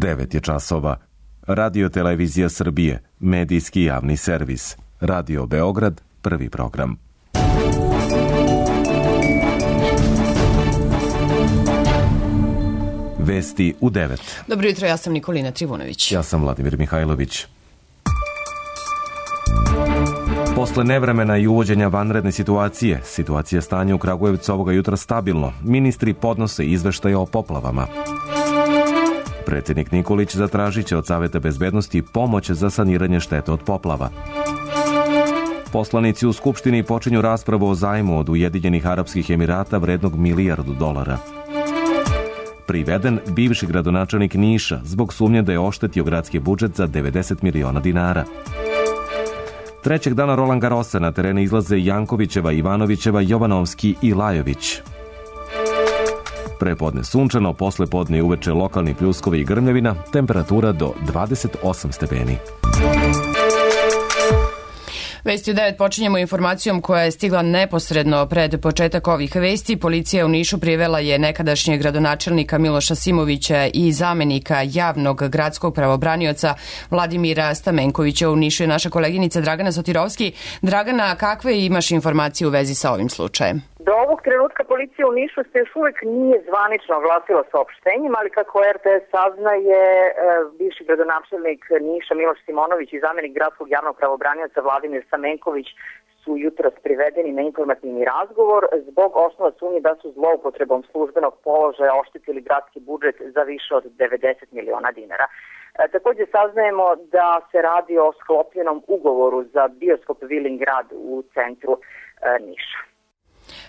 9 je časova. Radio Televizija Srbije, medijski javni servis. Radio Beograd, prvi program. Vesti u 9. Dobro jutro, ja sam Nikolina Trivunović. Ja sam Vladimir Mihajlović. Posle nevremena i uvođenja vanredne situacija stanja u Kragujevcu ovoga jutra stabilno. Ministri podnose izveštaje o poplavama. Predsjednik Nikolić zatražit će od Saveta bezbednosti pomoć za saniranje štete od poplava. Poslanici u Skupštini počinju raspravu o zajmu od Ujedinjenih Arapskih Emirata vrednog $1 milijardu. Priveden bivši gradonačelnik Niša zbog sumnje da je oštetio gradski budžet za 90 miliona dinara. Trećeg dana Roland Garrosa na terene izlaze Jankovićeva, Ivanovićeva, Jovanovski i Lajović. Prepodne sunčano, posle podne i uveče lokalni pljuskovi i grmljavina, temperatura do 28 stepeni. Vesti u 9 počinjemo informacijom koja je stigla neposredno pred početak ovih vesti. Policija u Nišu privela je nekadašnjeg gradonačelnika Miloša Simovića i zamenika javnog gradskog pravobranioca Vladimira Stamenkovića. U Nišu je naša koleginica Dragana Sotirovski. Dragana, kakve imaš informacije u vezi sa ovim slučajem? Do ovog trenutka policija u Nišu se još uvek nije zvanično oglasila saopštenjem, ali kako RTS saznaje, bivši gradonačelnik Niša Miloš Simonović i zamenik gradskog javnog pravobranioca Vladimir Stamenković su jutros privedeni na informativni razgovor zbog osnova sumnje da su zloupotrebom službenog položaja oštetili gradski budžet za više od 90 miliona dinara. Također saznajemo da se radi o sklopljenom ugovoru za bioskop Vilin grad u centru Niša.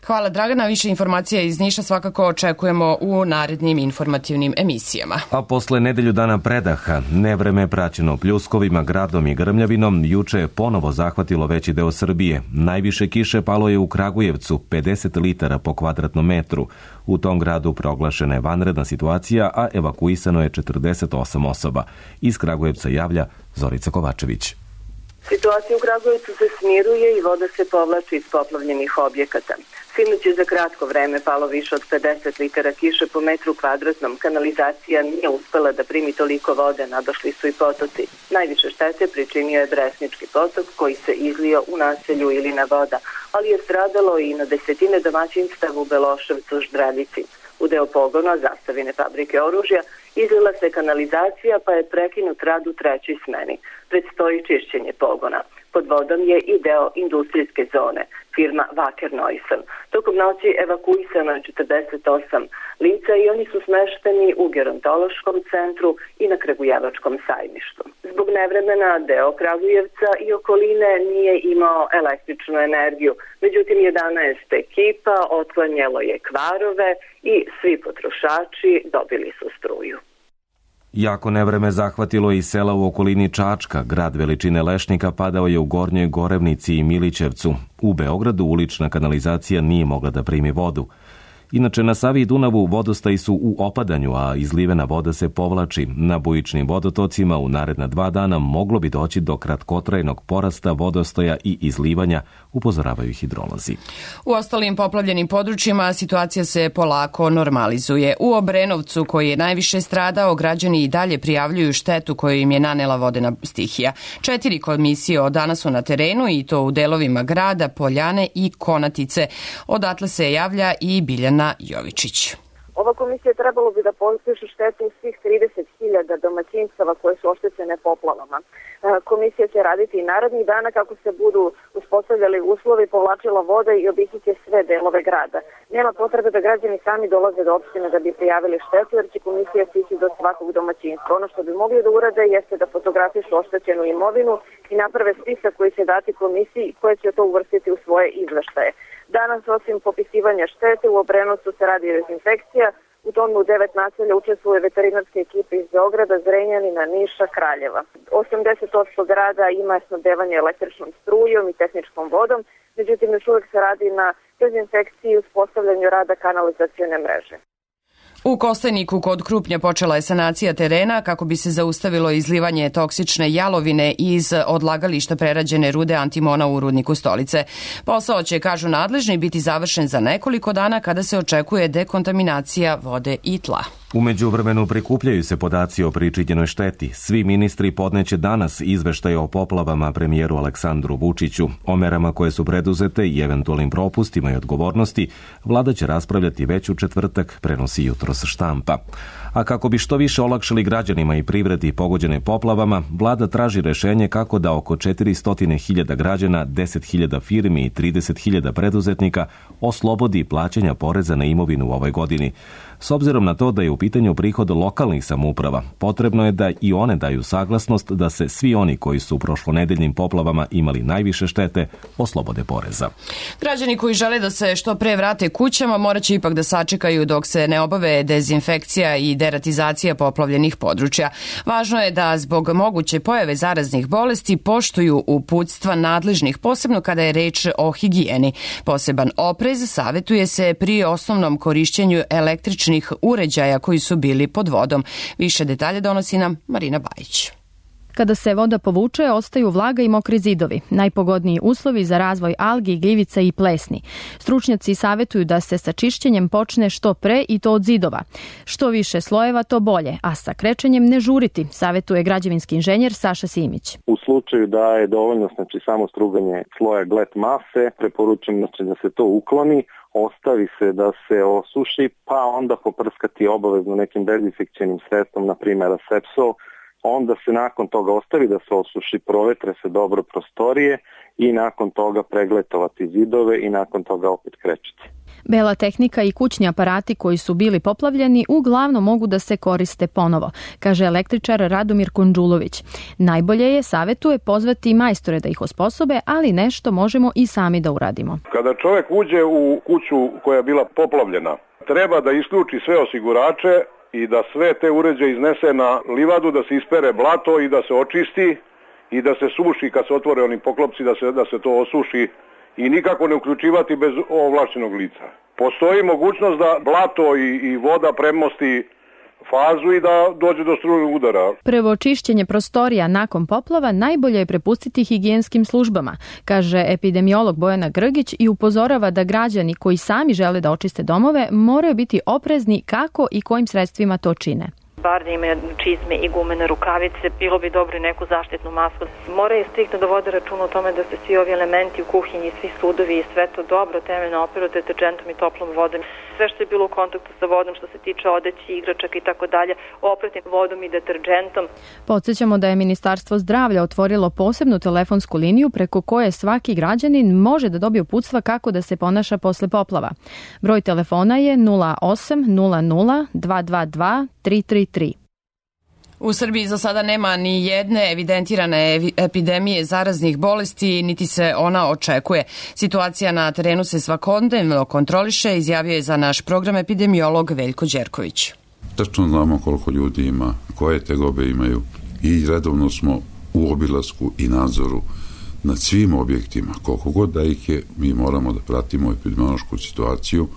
Hvala Dragana, više informacija iz Niša svakako očekujemo u narednim informativnim emisijama. A posle nedelju dana predaha, nevreme praćeno pljuskovima, gradom i grmljavinom, juče je ponovo zahvatilo veći deo Srbije. Najviše kiše palo je u Kragujevcu, 50 litara po kvadratnom metru. U tom gradu proglašena je vanredna situacija, a evakuisano je 48 osoba. Iz Kragujevca javlja Zorica Kovačević. Situacija u Kragujevcu se smiruje i voda se povlači iz poplavljenih objekata. Sinoć je za kratko vreme palo više od 50 litara kiše po metru kvadratnom. Kanalizacija nije uspela da primi toliko vode, nadošli su i potoci. Najviše štete pričinio je Bresnički potok koji se izlio u naselju Ilina voda, ali je stradalo i na desetine domaćinstava u Beloševcu, Ždravici. U deo pogona Zastavine fabrike oružja izlila se kanalizacija pa je prekinut rad u trećoj smeni. Predstoji čišćenje pogona. Pod vodom je i deo industrijske zone, firma Wacker Neuson. Tokom noći evakuisano je 48 lica i oni su smešteni u gerontološkom centru i na Kragujevačkom sajmištu. Zbog nevremena deo Kragujevca i okoline nije imao električnu energiju. Međutim, 11 ekipa otklanjalo je kvarove i svi potrošači dobili su struju. Jako nevreme zahvatilo i sela u okolini Čačka. Grad veličine Lešnika padao je u Gornjoj Gorevnici i Milićevcu. U Beogradu ulična kanalizacija nije mogla da primi vodu. Inače, na Savi i Dunavu vodostaji su u opadanju, a izlivena voda se povlači. Na bujičnim vodotocima u naredna 2 dana moglo bi doći do kratkotrajnog porasta vodostaja i izlivanja, upozoravaju hidrolozi. U ostalim poplavljenim područjima situacija se polako normalizuje. U Obrenovcu, koji je najviše stradao, građani i dalje prijavljuju štetu koju im je nanela vodena stihija. 4 komisije od danas su na terenu i to u delovima grada, Poljane i Konatice. Odatle se javlja i Biljana Jovičić. Ova komisija trebalo bi da posluši štetu svih 30.000 domaćinstava koje su oštećene poplavama. Komisija će raditi i narednih dana kako se budu uspostavljali uslovi, povlačila voda i obići će sve delove grada. Nema potrebe da građani sami dolaze do opštine da bi prijavili štetu, jer će komisija stići do svakog domaćinstva. Ono što bi mogli da urade jeste da fotografišu oštećenu imovinu i naprave spisak koji će dati komisiji koje će to uvrstiti u svoje izveštaje. Danas, osim popisivanja štete, u Obrenovcu se radi dezinfekcija. U tome u 9 naselja učestvuje veterinarske ekipe iz Beograda, Zrenjanina, Niša, Kraljeva. 80% grada ima snabdevanje električnom strujom i tehničkom vodom, međutim još uvek se radi na dezinfekciji i uspostavljanju rada kanalizacione mreže. U Kostajniku kod Krupnja počela je sanacija terena kako bi se zaustavilo izlivanje toksične jalovine iz odlagališta prerađene rude antimona u rudniku Stolice. Posao će, kažu nadležni, biti završen za nekoliko dana kada se očekuje dekontaminacija vode i tla. U međuvremenu prikupljaju se podaci o pričinjenoj šteti. Svi ministri podneće danas izveštaje o poplavama premijeru Aleksandru Vučiću. O merama koje su preduzete i eventualnim propustima i odgovornosti vlada će raspravljati već u četvrtak, prenosi jutros štampa. A kako bi što više olakšali građanima i privredi pogođene poplavama, vlada traži rešenje kako da oko 400.000 građana, 10.000 firmi i 30.000 preduzetnika oslobodi plaćanja poreza na imovinu u ovoj godini. S obzirom na to da je u pitanju prihod lokalnih samouprava, potrebno je da i one daju saglasnost da se svi oni koji su u prošlonedeljnim poplavama imali najviše štete oslobode poreza. Građani koji žele da se što pre vrate kućama morat će ipak da sačekaju dok se ne obave dezinfekcija i deratizacija poplavljenih područja. Važno je da zbog moguće pojave zaraznih bolesti poštuju uputstva nadležnih, posebno kada je reč o higijeni. Poseban oprez savjetuje se pri osnovnom korišćenju električnih uređaja koji su bili pod vodom. Više detalje donosi nam Marina Bajić. Kada se voda povuče, ostaju vlaga i mokri zidovi. Najpogodniji uslovi za razvoj algi, gljivica i plesni. Stručnjaci savjetuju da se sa čišćenjem počne što pre i to od zidova. Što više slojeva, to bolje, a sa krečenjem ne žuriti, savjetuje građevinski inženjer Saša Simić. U slučaju da je dovoljno samo struganje sloja glet mase, preporučujem da se to ukloni, ostavi se da se osuši, pa onda poprskati obavezno nekim dezinfekcionim sredstvom, na primjer Asepsol. Onda se nakon toga ostavi da se osuši, provetre se dobro prostorije i nakon toga pregletovati zidove i nakon toga opet krečiti. Bela tehnika i kućni aparati koji su bili poplavljeni uglavnom mogu da se koriste ponovo, kaže električar Radomir Konđulović. Najbolje je, savjetuje, pozvati majstore da ih osposobe, ali nešto možemo i sami da uradimo. Kada čovjek uđe u kuću koja je bila poplavljena, treba da isključi sve osigurače i da sve te uređaje iznese na livadu, da se ispere blato i da se očisti i da se suši kad se otvore oni poklopci, da se to osuši i nikako ne uključivati bez ovlašćenog lica. Postoji mogućnost da blato i voda premosti fazu i da dođe do strujnog udara. Prvo čišćenje prostorija nakon poplava najbolje je prepustiti higijenskim službama, kaže epidemiolog Bojana Grgić i upozorava da građani koji sami žele da očiste domove moraju biti oprezni kako i kojim sredstvima to čine. Bar da imaju čizme i gumene rukavice, bilo bi dobro i neku zaštitnu masku. Moraju striktno da vode računa o tome da se svi ovi elementi u kuhinji, svi sudovi i sve to dobro temeljno operu deterđentom i toplom vodom. Sve što je bilo u kontaktu sa vodom, što se tiče odeći, igračaka i tako dalje, oprati vodom i deterđentom. Podsjećamo da je Ministarstvo zdravlja otvorilo posebnu telefonsku liniju preko koje svaki građanin može da dobije uputstva kako da se ponaša posle poplava. Broj telefona je 0800 222 333. U Srbiji za sada nema ni jedne evidentirane epidemije zaraznih bolesti, niti se ona očekuje. Situacija na terenu se svakodnevno kontroliše, izjavio je za naš program epidemiolog Veljko Đerković. Tačno znamo koliko ljudi ima, koje tegobe imaju i redovno smo u obilasku i nadzoru nad svim objektima. Koliko god da ih je, mi moramo da pratimo epidemiološku situaciju.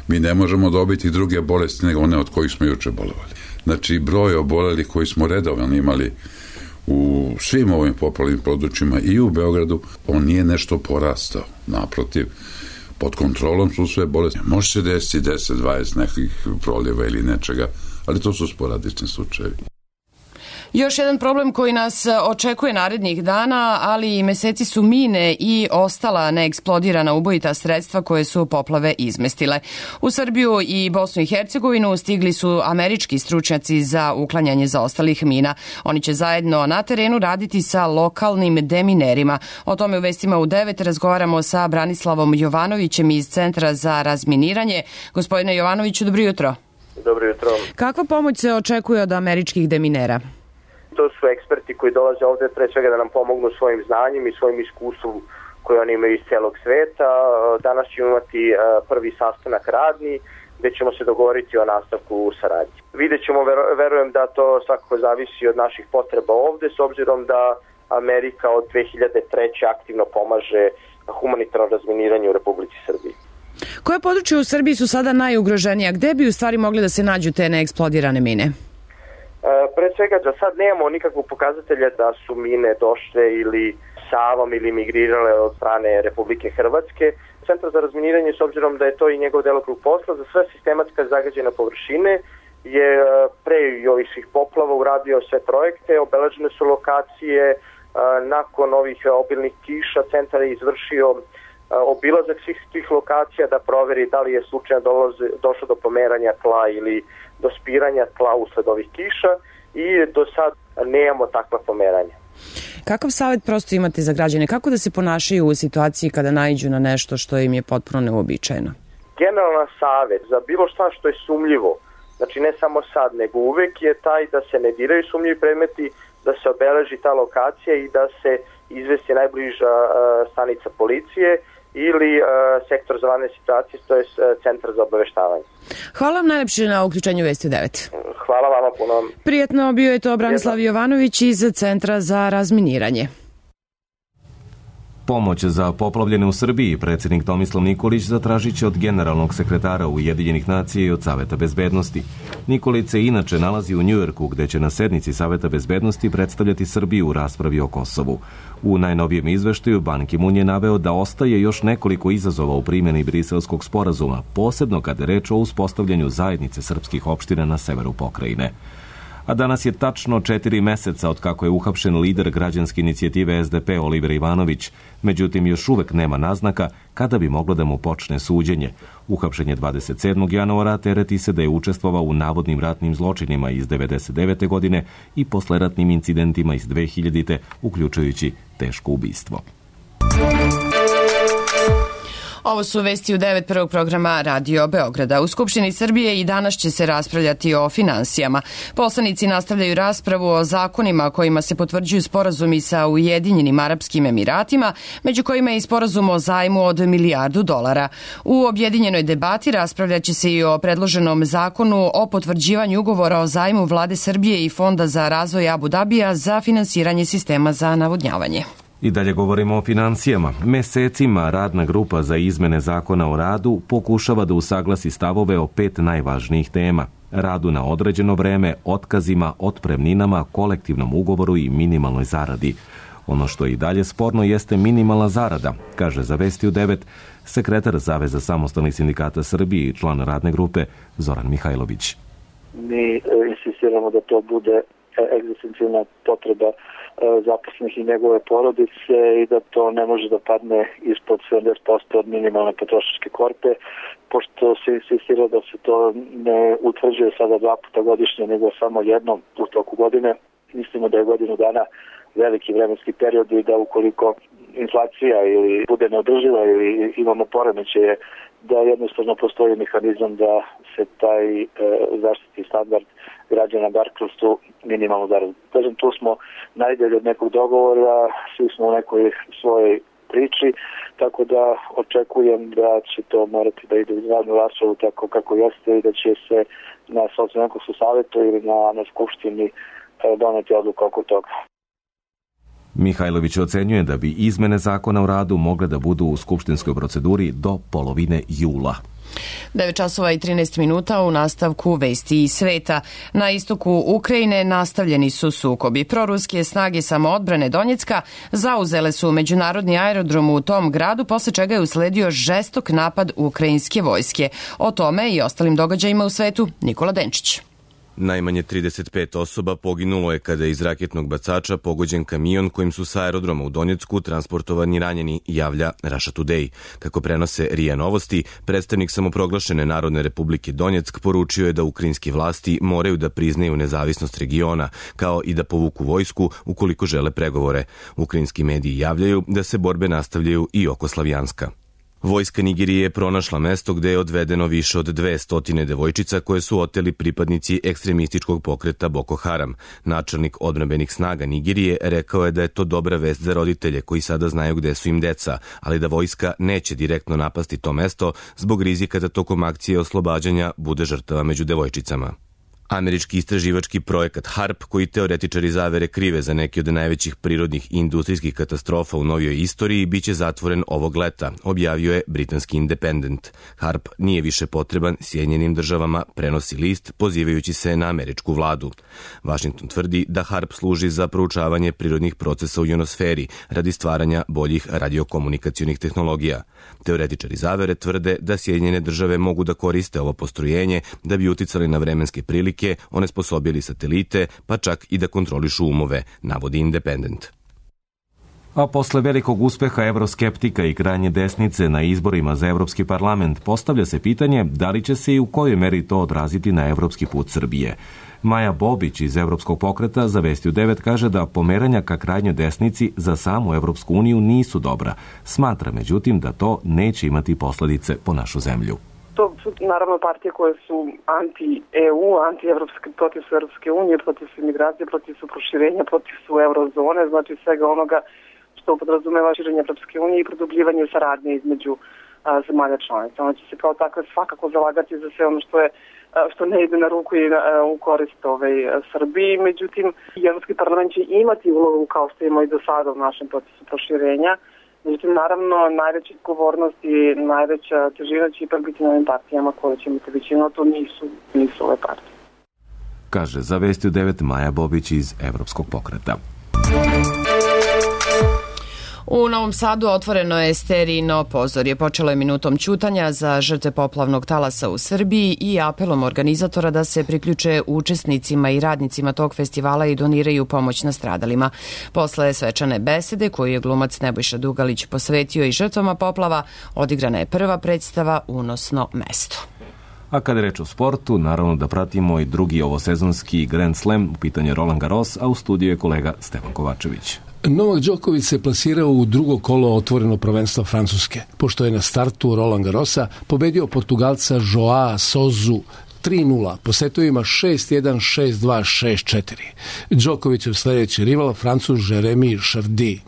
Mi ne možemo dobiti druge bolesti nego one od kojih smo juče bolovali. Znači, broj obolelih koji smo redovno imali u svim ovim poplavnim područjima i u Beogradu, on nije nešto porastao. Naprotiv, pod kontrolom su sve bolesti. Može se desiti 10-20 nekih proljeva ili nečega, ali to su sporadični slučajevi. Još jedan problem koji nas očekuje narednih dana, ali i meseci su mine i ostala neeksplodirana ubojita sredstva koje su poplave izmestile. U Srbiju i Bosnu i Hercegovinu stigli su američki stručnjaci za uklanjanje zaostalih mina. Oni će zajedno na terenu raditi sa lokalnim deminerima. O tome u vestima u 9 razgovaramo sa Branislavom Jovanovićem iz Centra za razminiranje. Gospodine Jovanoviću, dobro jutro. Dobro jutro. Kakva pomoć se očekuje od američkih deminera? To su eksperti koji dolaze ovde pre svega da nam pomognu svojim znanjem i svojim iskustvom koje oni imaju iz celog sveta. Danas ćemo imati prvi sastanak radni gde ćemo se dogovoriti o nastavku saradnje. Vidjet ćemo, verujem da to svakako zavisi od naših potreba ovde, s obzirom da Amerika od 2003. aktivno pomaže humanitarno razminiranje u Republici Srbiji. Koje područje u Srbiji su sada najugroženija? Gde bi u stvari mogli da se nađu te neeksplodirane mine? Pre svega, za sad nemamo nikakvog pokazatelja da su mine došle ili Savom ili migrirale od strane Republike Hrvatske. Centar za razminiranje, s obzirom da je to i njegov delokrug posla, za sve sistematska zagađena površine je pre i ovih svih poplava uradio sve projekte, obeležene su lokacije, nakon ovih obilnih kiša centar je izvršio obilazak svih tih lokacija da proveri da li je slučajno došlo do pomeranja tla ili do spiranja tla usled ovih kiša i do sad nemamo takva pomeranja. Kakav savjet prosto imate za građane? Kako da se ponašaju u situaciji kada naiđu na nešto što im je potpuno neuobičajeno? Generalan savjet za bilo šta što je sumljivo, znači ne samo sad, nego uvek je taj da se ne diraju sumnjivi predmeti, da se obeleži ta lokacija i da se izvesti najbliža stanica policije ili sektor za vanredne situacije, to je centar za obaveštavanje. Hvala vam najlepše na uključenju Vesti u 9. Hvala vama puno. Prijetno, bio je to Branislav Jovanović iz Centra za razminiranje. Pomoć za poplavljene u Srbiji predsjednik Tomislav Nikolić zatražit će od generalnog sekretara Ujedinjenih nacija i od Saveta bezbednosti. Nikolić se inače nalazi u Njujorku, gde će na sednici Saveta bezbednosti predstavljati Srbiju u raspravi o Kosovu. U najnovijem izveštaju Ban Ki-moon je naveo da ostaje još nekoliko izazova u primjeni Briselskog sporazuma, posebno kada je reč o uspostavljanju zajednice srpskih opština na severu pokrajine. A danas je tačno 4 meseca od kako je uhapšen lider građanske inicijative SDP Oliver Ivanović, međutim još uvek nema naznaka kada bi moglo da mu počne suđenje. Uhapšen je 27. januara, tereti se da je učestvovao u navodnim ratnim zločinima iz 1999. godine i posleratnim incidentima iz 2000. uključujući teško ubistvo. Ovo su Vesti u 9 prvog programa Radio Beograda. U Skupštini Srbije i danas će se raspravljati o finansijama. Poslanici nastavljaju raspravu o zakonima kojima se potvrđuju sporazumi sa Ujedinjenim Arapskim Emiratima, među kojima je i sporazum o zajmu od $1 milijardu. U objedinjenoj debati raspravljaće se i o predloženom zakonu o potvrđivanju ugovora o zajmu Vlade Srbije i Fonda za razvoj Abu Dabija za finansiranje sistema za navodnjavanje. I dalje govorimo o financijama. Mesecima radna grupa za izmene zakona o radu pokušava da usaglasi stavove o 5 najvažnijih tema. Radu na određeno vreme, otkazima, otpremninama, kolektivnom ugovoru i minimalnoj zaradi. Ono što je i dalje sporno jeste minimalna zarada, kaže za Vesti u 9 sekretar Saveza samostalnih sindikata Srbije i član radne grupe Zoran Mihajlović. Mi insistiramo da to bude egzistencijalna potreba zaposlenih i njegove porodice i da to ne može da padne ispod 70% od minimalne potrošačke korpe, pošto se insistira da se to ne utvrđuje sada 2 puta godišnje, nego samo jednom u toku godine. Mislimo da je godinu dana veliki vremenski period i da ukoliko inflacija ili bude neodrživa ili imamo poremećaje, da jednostavno postoji mehanizam da se taj zaštitni standard građana bar kroz tu minimalnu zaradu. Kažem, tu smo najdalje od nekog dogovora, svi smo u nekoj svojoj priči, tako da očekujem da će to morati da ide u javnu raspravu tako kako jeste i da će se na Socijalno-ekonomskom savetu ili na Skupštini doneti odluka oko toga. Mihajlović ocenjuje da bi izmene zakona o radu mogle da budu u skupštinskoj proceduri do polovine jula. 9 časova i 13 minuta u nastavku Vesti iz sveta. Na istoku Ukrajine nastavljeni su sukobi. Proruske snage samoodbrane Donjecka zauzele su međunarodni aerodrom u tom gradu, posle čega je usledio žestok napad ukrajinske vojske. O tome i ostalim događajima u svetu Nikola Denčić. Najmanje 35 osoba poginulo je kada je iz raketnog bacača pogođen kamion kojim su sa aerodroma u Donjecku transportovani ranjeni, javlja Russia Today. Kako prenose RIA Novosti, predstavnik samoproglašene Narodne republike Donjeck poručio je da ukrajinski vlasti moraju da priznaju nezavisnost regiona, kao i da povuku vojsku ukoliko žele pregovore. Ukrajinski mediji javljaju da se borbe nastavljaju i oko Slavjanska. Vojska Nigerije je pronašla mesto gde je odvedeno više od 200 devojčica koje su oteli pripadnici ekstremističkog pokreta Boko Haram. Načelnik odbrambenih snaga Nigerije rekao je da je to dobra vest za roditelje koji sada znaju gde su im deca, ali da vojska neće direktno napasti to mesto zbog rizika da tokom akcije oslobađanja bude žrtava među devojčicama. Američki istraživački projekat HARP, koji teoretičari zavere krive za neke od najvećih prirodnih i industrijskih katastrofa u novijoj istoriji, biće zatvoren ovog leta, objavio je britanski Independent. HARP nije više potreban Sjedinjenim državama, prenosi list pozivajući se na američku vladu. Washington tvrdi da HARP služi za proučavanje prirodnih procesa u ionosferi radi stvaranja boljih radiokomunikacionih tehnologija. Teoretičari zavere tvrde da Sjedinjene države mogu da koriste ovo postrojenje da bi uticali na vremenske prilike, onesposobili satelite, pa čak i da kontrolišu umove, navodi Independent. A posle velikog uspeha evroskeptika i krajnje desnice na izborima za Evropski parlament postavlja se pitanje da li će se i u kojoj meri to odraziti na evropski put Srbije. Maja Bobić iz Evropskog pokreta za Vesti u 9 kaže da pomeranja ka krajnjoj desnici za samu Evropsku uniju nisu dobra. Smatra, međutim, da to neće imati posledice po našu zemlju. To su naravno partije koje su anti-EU, anti-evropske, protiv su Evropske unije, protiv su imigracije, protiv su proširenja, protiv su eurozone, znači svega onoga što podrazumeva širenje Evropske unije i produbljivanje saradnje između zemalja članica. Ona će se kao takve svakako zalagati za sve ono što ne ide na ruku i u korist Srbiji. Međutim, Evropski parlament će imati ulogu kao što ima i do sada u našem procesu proširenja. Međutim, naravno, najveća odgovornost i najveća težina će ipak biti na ovim partijama koje će imati većinu, a to nisu ove partije. Kaže za Vesti u 9 Maja Bobić iz Evropskog pokreta. U Novom Sadu otvoreno je sterijno pozorje. Počelo je minutom ćutanja za žrtve poplavnog talasa u Srbiji i apelom organizatora da se priključe učesnicima i radnicima tog festivala i doniraju pomoć nastradalima. Posle svečane besede koju je glumac Nebojša Dugalić posvetio i žrtvama poplava, odigrana je prva predstava Unosno mesto. A kada je reč o sportu, naravno da pratimo i drugi ovosezonski Grand Slam, u pitanju Roland Garros, a u studiju je kolega Stevan Kovačević. Novak Đoković se plasirao u drugo kolo otvoreno prvenstva Francuske, pošto je na startu Roland Garrosa pobedio Portugalca Joao Souzu 3-0 po setovima 6-1, 6-2, 6-4. Đokovićev sledeći rival, Francuz Jeremy Chardy.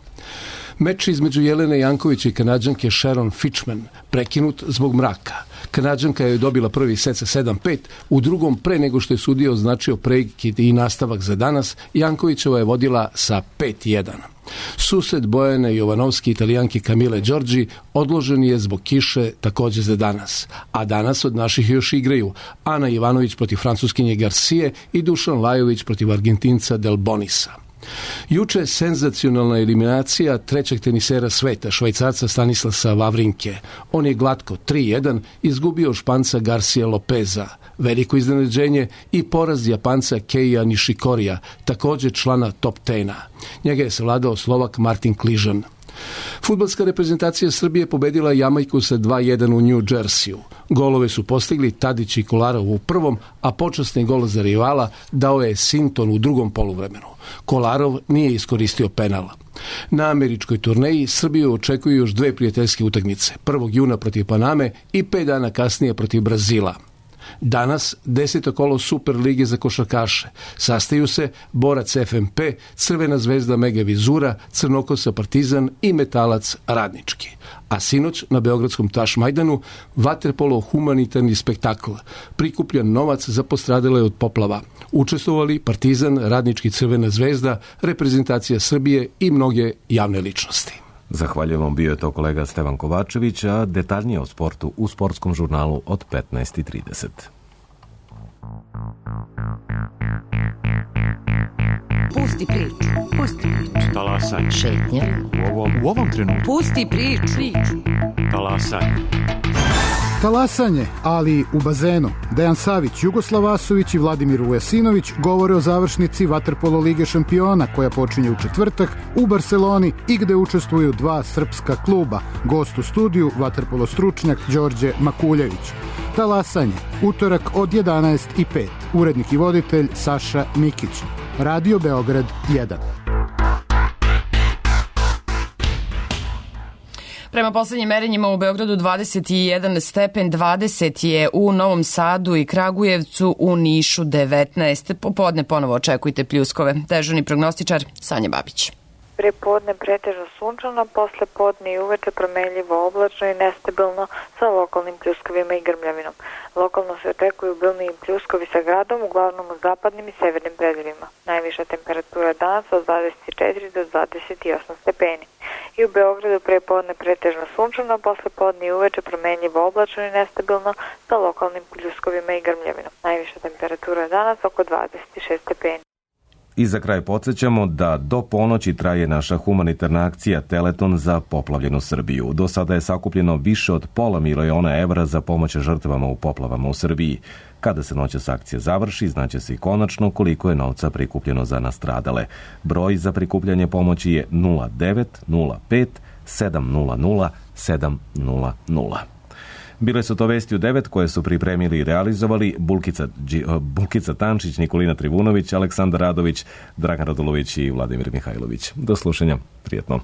Meč između Jelene Jankovića i Kanađanke Sharon Fitchman prekinut zbog mraka. Kanađanka je dobila prvi set sa 7-5, u drugom pre nego što je sudija označio prekid i nastavak za danas, Jankovićeva je vodila sa 5-1. Susret Bojane Jovanovski Italijanke Camille Giorgi odložen je zbog kiše takođe za danas. A danas od naših još igraju Ana Ivanović protiv Francuskinje Garcije i Dušan Lajović protiv Argentinca Del Bonisa. Juče senzacionalna eliminacija trećeg tenisera sveta, Švajcarca Stanislasa Wawrinke. On je glatko 3-1 izgubio Španca Garcia Lopeza. Veliko iznenađenje i poraz Japanca Keija Nishikorija, takođe člana top 10. Njega je savladao Slovak Martin Kližan. Fudbalska reprezentacija Srbije pobedila Jamajku sa 2-1 u New Jerseyu. Golove su postigli Tadić i Kolarov u prvom, a počasni gol za rivala dao je Sinton u drugom poluvremenu. Kolarov nije iskoristio penal. Na američkoj turneji Srbiju očekuju još dve prijateljske utakmice, 1. juna protiv Paname i 5 dana kasnije protiv Brazila. Danas 10. kolo Super lige za košarkaše. Sastaju se borac FNP, Crvena zvezda Mega Vizura, Crnokosa Partizan i Metalac Radnički. A sinoć na Beogradskom Tašmajdanu vaterpolo humanitarni spektakl. Prikupljan novac za postradale od poplava. Učestvovali Partizan, Radnički, Crvena zvezda, reprezentacija Srbije i mnoge javne ličnosti. Zahvaljujem vam, bio je to kolega Stevan Kovačević, a detaljnije o sportu u sportskom žurnalu od 15:30. Pusti priču. Talasanje. Šetnja. U ovom trenutku. Pusti priču. Talasanje. Talasanje, ali u bazenu. Dejan Savić, Jugoslav Vasović i Vladimir Vujasinović govore o završnici Vaterpolo Lige šampiona koja počinje u četvrtak u Barseloni i gde učestvuju dva srpska kluba. Gost u studiju, vaterpolo stručnjak Đorđe Makuljević. Talasanje, utorak od 11:05. Urednik i voditelj Saša Mikić. Radio Beograd 1. Prema poslednjim merenjima u Beogradu 21 stepen, 20 je u Novom Sadu i Kragujevcu, u Nišu 19. Popodne ponovo očekujte pljuskove. Dežurni prognostičar Sanja Babić. pre podne pretežno sunčano, posle podne i uveče promenljivo oblačno i nestabilno sa lokalnim pljuskovima i grmljavinom. Lokalno se očekuju obilniji pljuskovi sa gradom, uglavnom u zapadnim i severnim predelima. Najviša temperatura danas od 24 do 28 stepeni. I u Beogradu pre podne pretežno sunčano, posle podne i uveče promenljivo oblačno i nestabilno sa lokalnim pljuskovima i grmljavinom. Najviša temperatura danas oko 26 stepeni. I za kraj podsjećamo da do ponoći traje naša humanitarna akcija Teleton za poplavljenu Srbiju. Do sada je sakupljeno više od $500.000 evra za pomoć žrtvama u poplavama u Srbiji. Kada se noćas akcija završi, znaće se i konačno koliko je novca prikupljeno za nastradale. Broj za prikupljanje pomoći je 0905 700 700. Bile su to vesti u 9 koje su pripremili i realizovali Bulkica Tančić, Nikolina Trivunović, Aleksandar Radović, Dragan Radulović i Vladimir Mihajlović. Do slušanja. Prijetno.